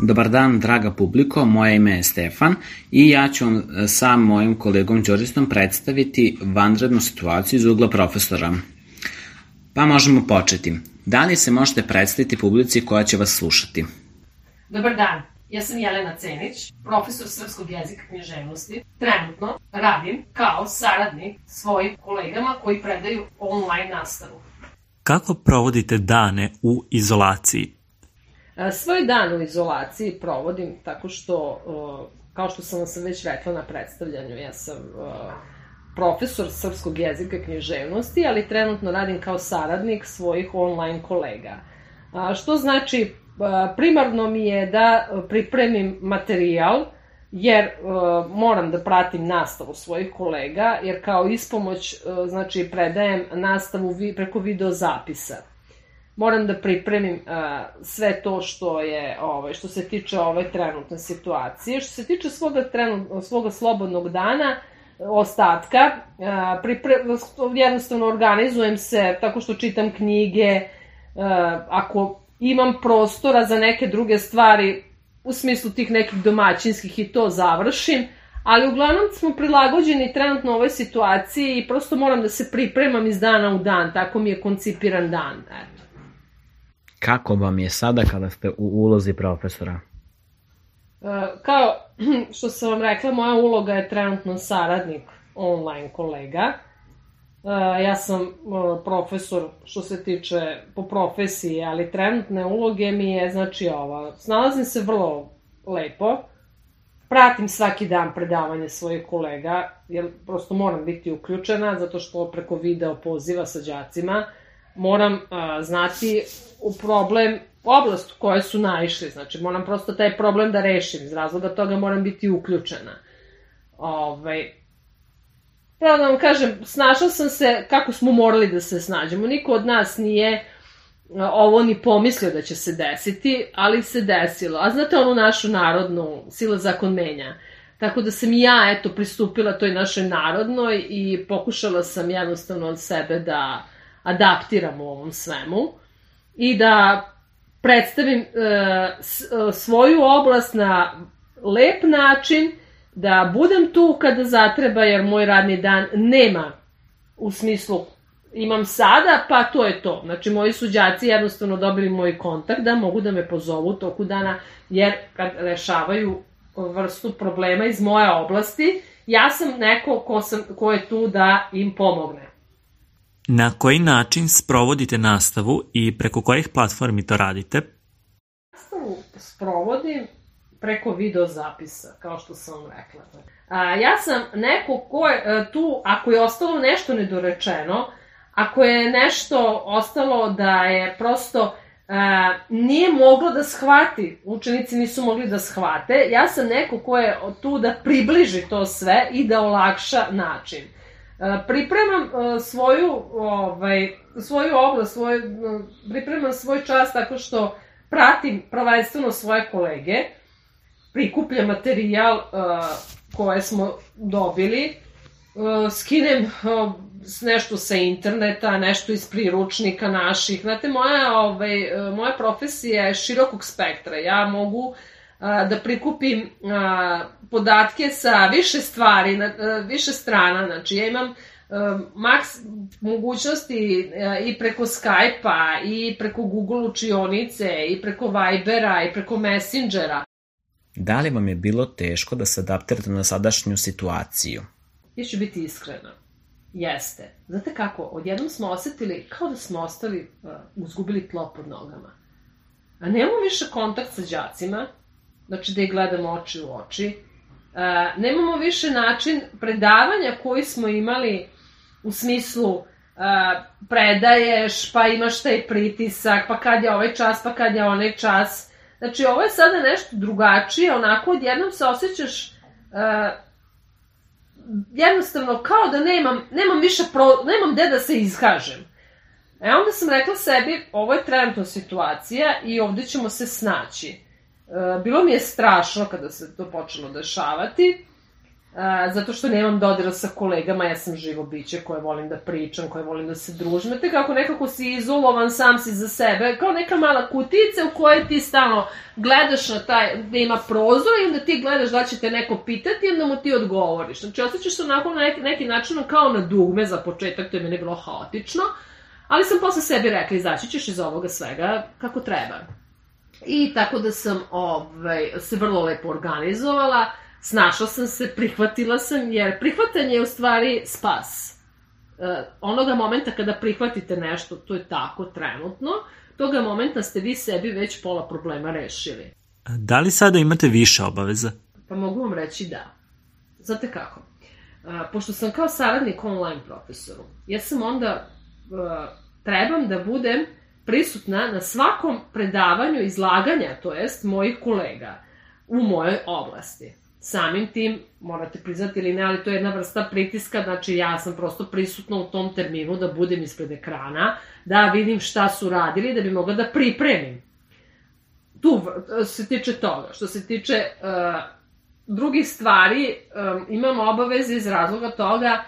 Dobar dan, draga publiko, moje ime je Stefan i ja ću vam sa mojim kolegom Đorđistom predstaviti vanrednu situaciju iz ugla profesora. Pa možemo početi. Da li se možete predstaviti publici koja će vas slušati? Dobar dan, ja sam Jelena Cenić, profesor srpskog jezika i književnosti. Trenutno radim kao saradnik svojim kolegama koji predaju online nastavu. Kako provodite dane u izolaciji? Svoj dan u izolaciji provodim tako što, kao što sam vam već rekla na predstavljanju, ja sam profesor srpskog jezika i književnosti, ali trenutno radim kao saradnik svojih online kolega. Što znači, primarno mi je da pripremim materijal, jer moram da pratim nastavu svojih kolega, jer kao ispomoć znači, predajem nastavu preko video zapisa. Moram da pripremim sve to što se tiče ove trenutne situacije. Što se tiče svoga slobodnog dana, ostatka, jednostavno organizujem se tako što čitam knjige, ako imam prostora za neke druge stvari, u smislu tih nekih domaćinskih i to završim, ali uglavnom smo prilagođeni trenutno ovoj situaciji i prosto moram da se pripremam iz dana u dan, tako mi je koncipiran dan, eto. Kako vam je sada kada ste u ulozi profesora? Kao što sam vam rekla, moja uloga je trenutno saradnik online kolega. Ja sam profesor što se tiče po profesiji, ali trenutne uloge mi je znači ova. Snalazim se vrlo lepo, pratim svaki dan predavanje svojih kolega, jer prosto moram biti uključena, zato što preko video poziva sa đacima moram znati u problem, oblast u kojoj su naišli, znači moram prosto taj problem da rešim, iz razloga toga moram biti uključena. Pravo da vam kažem, snašla sam se kako smo morali da se snađemo, niko od nas nije ovo ni pomislio da će se desiti, ali se desilo, a znate onu našu narodnu, sila zakon menja, tako da sam i ja, eto, pristupila toj našoj narodnoj i pokušala sam jednostavno od sebe da adaptiram u ovom svemu i da predstavim svoju oblast na lep način, da budem tu kada zatreba, jer moj radni dan nema u smislu imam sada, pa to je to. Znači, moji su đaci jednostavno dobili moj kontakt da mogu da me pozovu u toku dana, jer kad rešavaju vrstu problema iz moje oblasti, ja sam neko ko je tu da im pomogne. Na koji način sprovodite nastavu i preko kojih platformi to radite? Nastavu sprovodim preko video zapisa, kao što sam vam rekla. Ja sam neko ko je tu, ako je ostalo nešto nedorečeno, ako je nešto ostalo da je prosto nije moglo da shvati, učenici nisu mogli da shvate, ja sam neko ko je tu da približi to sve i da olakša način. Pripremam svoju oblast, pripremam svoj čas tako što pratim prvenstveno svoje kolege, prikupljam materijal koje smo dobili, skinem nešto sa interneta, nešto iz priručnika naših. Znate, moja profesija je širokog spektra. Ja mogu da prikupim podatke sa više stvari, više strana. Znači, ja imam mogućnosti i preko Skype-a, i preko Google učionice, i preko Vibera, i preko Messengera. Da li vam je bilo teško da se adaptirate na sadašnju situaciju? Ja ću biti iskrena. Jeste. Znate kako, odjednom smo osetili kao da smo izgubili tlo pod nogama. A nemamo više kontakt sa đacima, znači da ih gledamo oči u oči. Nemamo više način predavanja koji smo imali u smislu predaješ, pa imaš taj pritisak, pa kad je ovaj čas, pa kad je onaj čas. Znači, ovo je sada nešto drugačije, onako odjednom se osjećaš jednostavno kao da nemam gde da se izkažem. Onda sam rekla sebi, ovo je trenutna situacija i ovde ćemo se snaći. Bilo mi je strašno kada se to počelo dešavati. zato što nemam dodira sa kolegama, ja sam živo biće koje volim da pričam, koje volim da se družim. Te kako nekako si izolovan, sam si za sebe, kao neka mala kutice u kojoj ti stalno gledaš na taj, gde ima prozor i onda ti gledaš da će te neko pitati i onda mu ti odgovoriš. Znači, osjećaš se onako na neki način kao na dugme za početak, to je meni bilo haotično, ali sam posle sebi rekla, izaći ćeš iz ovoga svega kako treba. I tako da sam se vrlo lepo organizovala, snašla sam se, prihvatila sam, jer prihvatanje je u stvari spas. Onoga momenta kada prihvatite nešto, to je tako trenutno, toga momenta ste vi sebi već pola problema rešili. Da li sada imate više obaveza? Pa mogu vam reći da. Znate kako? Pošto sam kao saradnik online profesoru, ja sam onda trebam da budem prisutna na svakom predavanju izlaganja, to jest mojih kolega, u mojoj oblasti. Samim tim, morate priznati ili ne, ali to je jedna vrsta pritiska, znači ja sam prosto prisutna u tom terminu da budem ispred ekrana, da vidim šta su radili, da bi mogla da pripremim. Tu se tiče toga. Što se tiče drugih stvari, imam obaveze iz razloga toga,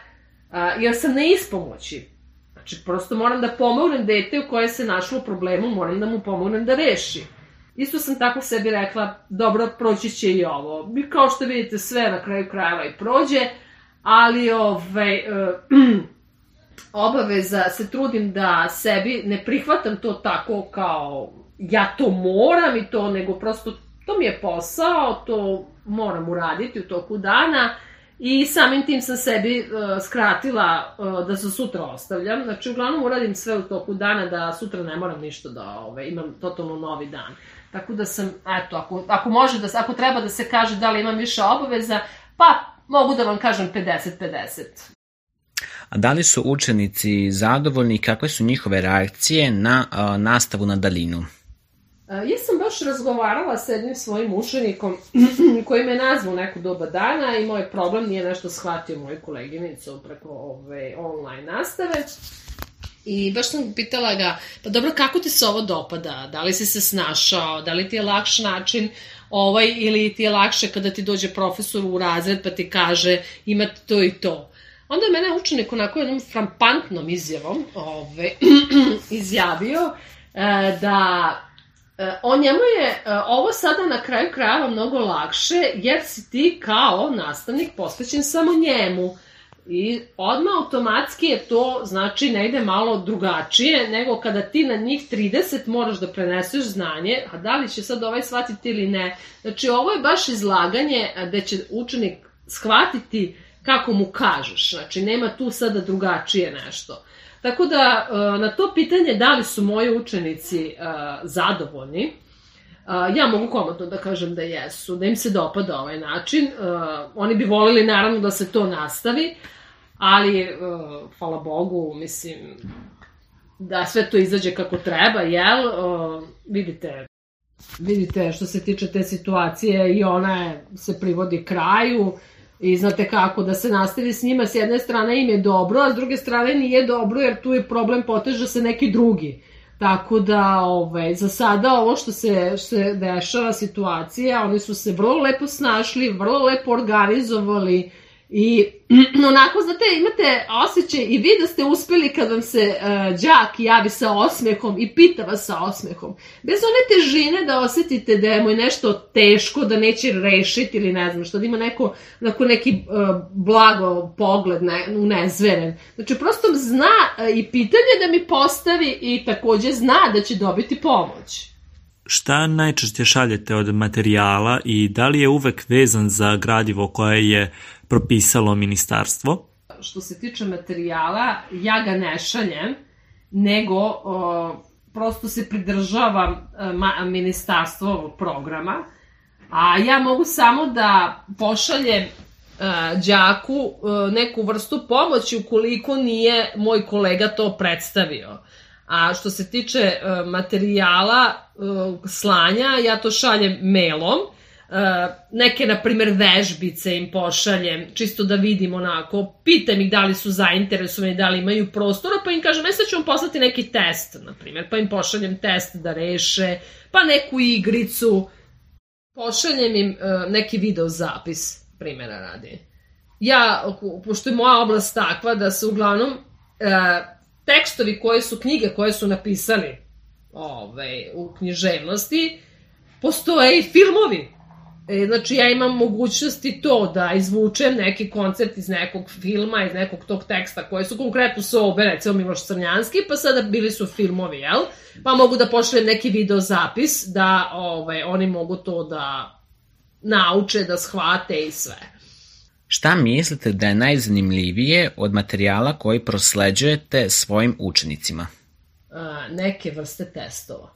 jer sam na ispomoći. Znači, prosto moram da pomognem dete u koje se našlo u problemu, moram da mu pomognem da reši. Isto sam tako sebi rekla, dobro, proći će i ovo. Kao što vidite, sve na kraju krajeva i prođe, ali obaveza se trudim da sebi ne prihvatam to tako kao ja to moram i to, nego prosto to mi je posao, to moram uraditi u toku dana i samim tim sam sebi skratila da se sutra ostavljam. Znači, uglavnom uradim sve u toku dana da sutra ne moram ništa da imam totalno novi dan. Tako da sam, eto, ako treba da se kaže da li imam više obaveza, pa mogu da vam kažem 50-50. A da li su učenici zadovoljni i kakve su njihove reakcije na nastavu na daljinu? Ja sam baš razgovarala sa jednim svojim učenikom koji me nazvao neko doba dana i moj problem nije nešto shvatio moju koleginicu preko online nastave. I baš sam pitala ga, pa dobro, kako ti se ovo dopada? Da li si se snašao? Da li ti je lakš način ili ti je lakše kada ti dođe profesor u razred pa ti kaže imate to i to? Onda je mene učenik onako jednom frampantnom izjavom izjavio da njemu je ovo sada na kraju krajeva mnogo lakše jer si ti kao nastavnik posvećen samo njemu. I odmah automatski je to, znači, ne ide malo drugačije nego kada ti na njih 30 moraš da preneseš znanje, a da li će sad shvatiti ili ne. Znači, ovo je baš izlaganje gde će učenik shvatiti kako mu kažeš, znači, nema tu sada drugačije nešto. Tako da, na to pitanje da li su moji učenici zadovoljni, ja mogu komotno da kažem da jesu, da im se dopada ovaj način. Oni bi volili naravno da se to nastavi, ali hvala Bogu, mislim, da sve to izađe kako treba, jel? Vidite što se tiče te situacije i ona se privodi kraju i znate kako da se nastavi s njima, s jedne strane im je dobro, a s druge strane nije dobro jer tu je problem poteže se neki drugi. Tako da, za sada ovo što se dešava situacija, oni su se vrlo lepo snašli, vrlo lepo organizovali i onako, znate, imate osjećaj i vi da ste uspeli kad vam se đak javi sa osmehom i pita vas sa osmehom. Bez one težine da osetite da je mu nešto teško, da neće rešiti ili ne znam što, da ima neki blago pogled unezveren. Znači, prosto zna i pitanje da mi postavi i takođe zna da će dobiti pomoć. Šta najčešće šaljete od materijala i da li je uvek vezan za gradivo koje je propisalo ministarstvo? Što se tiče materijala, ja ga ne šaljem, nego prosto se pridržavam ministarstvovog programa, a ja mogu samo da pošaljem đaku neku vrstu pomoći ukoliko nije moj kolega to predstavio. A što se tiče materijala slanja, ja to šaljem mailom. Neke, na primjer, vežbice im pošaljem, čisto da vidim onako, pitam ih da li su zainteresovani, da li imaju prostora, pa im kažem, sad ću vam poslati neki test, na primjer, pa im pošaljem test da reše, pa neku igricu, pošaljem im neki video zapis, primjera radi. pošto je moja oblast takva da se uglavnom tekstovi knjige koje su napisali u književnosti, postoje i filmovi. Znači, ja imam mogućnosti to da izvučem neki koncept iz nekog filma, iz nekog tog teksta koje su konkretno sobe, recimo Miloš Crnjanski, pa sada bili su filmovi, jel? Pa mogu da pošaljem neki video zapis da oni mogu to da nauče, da shvate i sve. Šta mislite da je najzanimljivije od materijala koji prosleđujete svojim učenicima? Neke vrste testova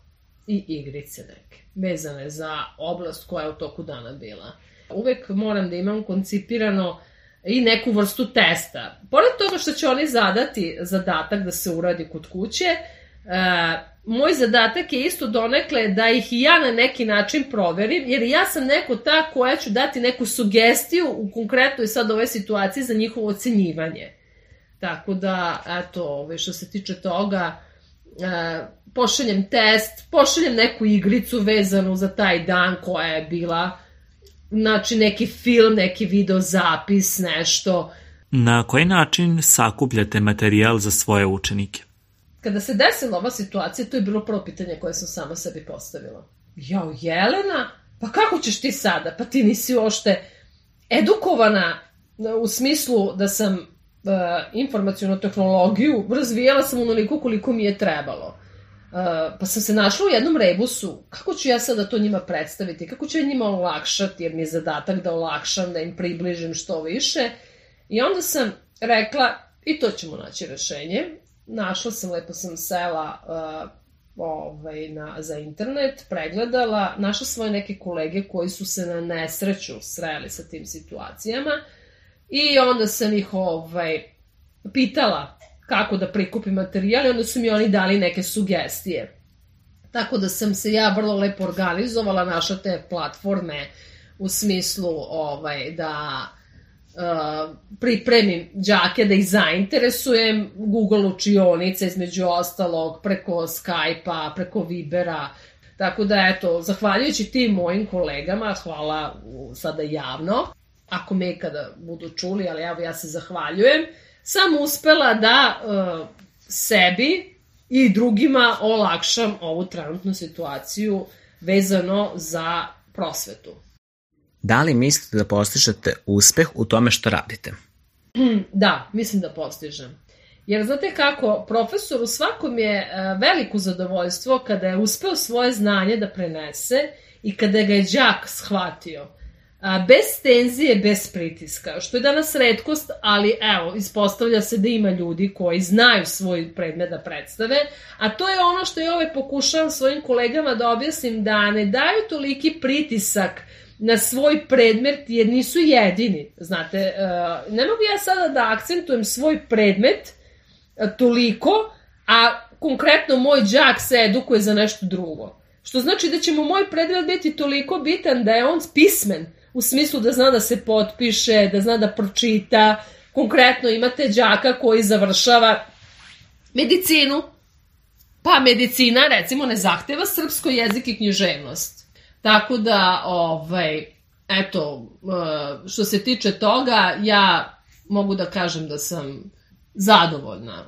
i igrice neke, vezane za oblast koja je u toku dana bila. Uvek moram da imam koncipirano i neku vrstu testa. Pored toga što će oni zadati zadatak da se uradi kod kuće, moj zadatak je isto donekle da ih i ja na neki način proverim, jer ja sam neko ta koja ću dati neku sugestiju u konkretnoj sad ovoj situaciji za njihovo ocenjivanje. Tako da, eto, što se tiče toga, pošaljem test, pošaljem neku igricu vezanu za taj dan koja je bila, znači neki film, neki video zapis, nešto. Na koji način sakupljate materijal za svoje učenike? Kada se desila ova situacija, to je bilo prvo pitanje koje sam sama sebi postavila. Jao, Jelena, pa kako ćeš ti sada? Pa ti nisi uopšte edukovana u smislu da sam informacionu tehnologiju razvijala sam onoliko koliko mi je trebalo. Pa sam se našla u jednom rebusu. Kako ću ja sada to njima predstaviti? Kako ću ja njima olakšati? Jer mi je zadatak da olakšam, da im približim što više. I onda sam rekla, i to ćemo naći rešenje. Našla sam, lepo sam sela za internet, pregledala, našla svoje neke kolege koji su se na nesreću sreli sa tim situacijama i onda sam ih pitala kako da prikupim materijal i onda su mi oni dali neke sugestije. Tako da sam se ja vrlo lepo organizovala, našla te platforme u smislu da pripremim đake, da ih zainteresujem, Google učionice između ostalog, preko Skype-a, preko Vibera. Tako da, eto, zahvaljujući tim mojim kolegama, hvala sada javno, ako me ikada budu čuli, ali evo ja se zahvaljujem, sam uspela da sebi i drugima olakšam ovu trenutnu situaciju vezano za prosvetu. Da li mislite da postižete uspeh u tome što radite? Da, mislim da postižem. Jer znate kako, profesoru svakom je veliko zadovoljstvo kada je uspeo svoje znanje da prenese i kada ga je đak shvatio. Bez tenzije, bez pritiska, što je danas retkost, ali evo, ispostavlja se da ima ljudi koji znaju svoj predmet da predstave, a to je ono što ja pokušavam svojim kolegama da objasnim, da ne daju toliki pritisak na svoj predmet jer nisu jedini. Znate, ne mogu ja sada da akcentujem svoj predmet toliko, a konkretno moj đak se edukuje za nešto drugo. Što znači da će mu moj predmet biti toliko bitan da je on pismen, u smislu da zna da se potpiše, da zna da pročita. Konkretno imate đaka koji završava medicinu, pa medicina recimo ne zahteva srpsko jezik i književnost. Tako da, eto, što se tiče toga, ja mogu da kažem da sam zadovoljna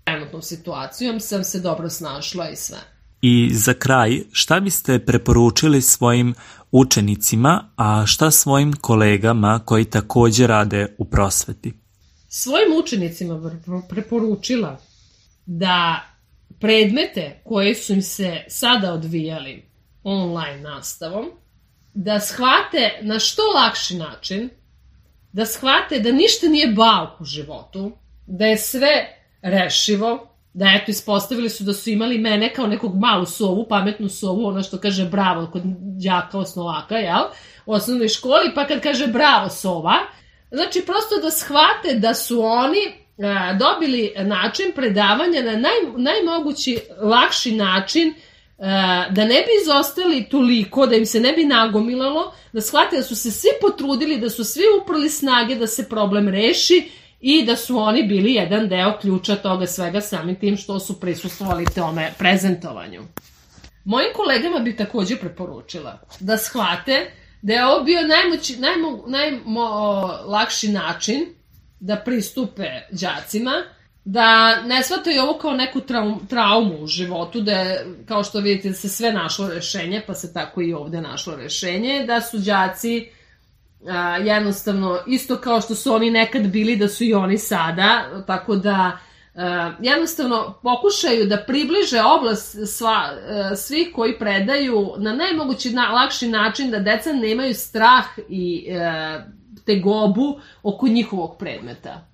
trenutnom situacijom, sam se dobro snašla i sve. I za kraj, šta biste preporučili svojim učenicima, a šta svojim kolegama koji takođe rade u prosveti? Svojim učenicima preporučila da predmete koje su im se sada odvijali online nastavom, da shvate na što lakši način, da shvate da ništa nije bauk u životu, da je sve rešivo, da eto ispostavili su da su imali mene kao nekog malu sovu, pametnu sovu, ono što kaže bravo kod đaka osnovaka, jel, u osnovnoj školi, pa kad kaže bravo sova, znači prosto da shvate da su oni dobili način predavanja na najmogući lakši način, da ne bi izostali toliko, da im se ne bi nagomilalo, da shvate da su se svi potrudili, da su svi uprli snage da se problem reši i da su oni bili jedan deo ključa toga svega samim tim što su prisustvovali tome prezentovanju. Mojim kolegama bih takođe preporučila da shvate Da je ovo bio najlakši način da pristupe đacima, da ne shvataju ovo kao neku traumu u životu, da je, kao što vidite, se sve našlo rešenje, pa se tako i ovde našlo rešenje, da su đaci jednostavno isto kao što su oni nekad bili, da su i oni sada, tako da jednostavno pokušaju da približe oblast svih koji predaju na najmogući lakši način, da deca nemaju strah i tegobu oko njihovog predmeta.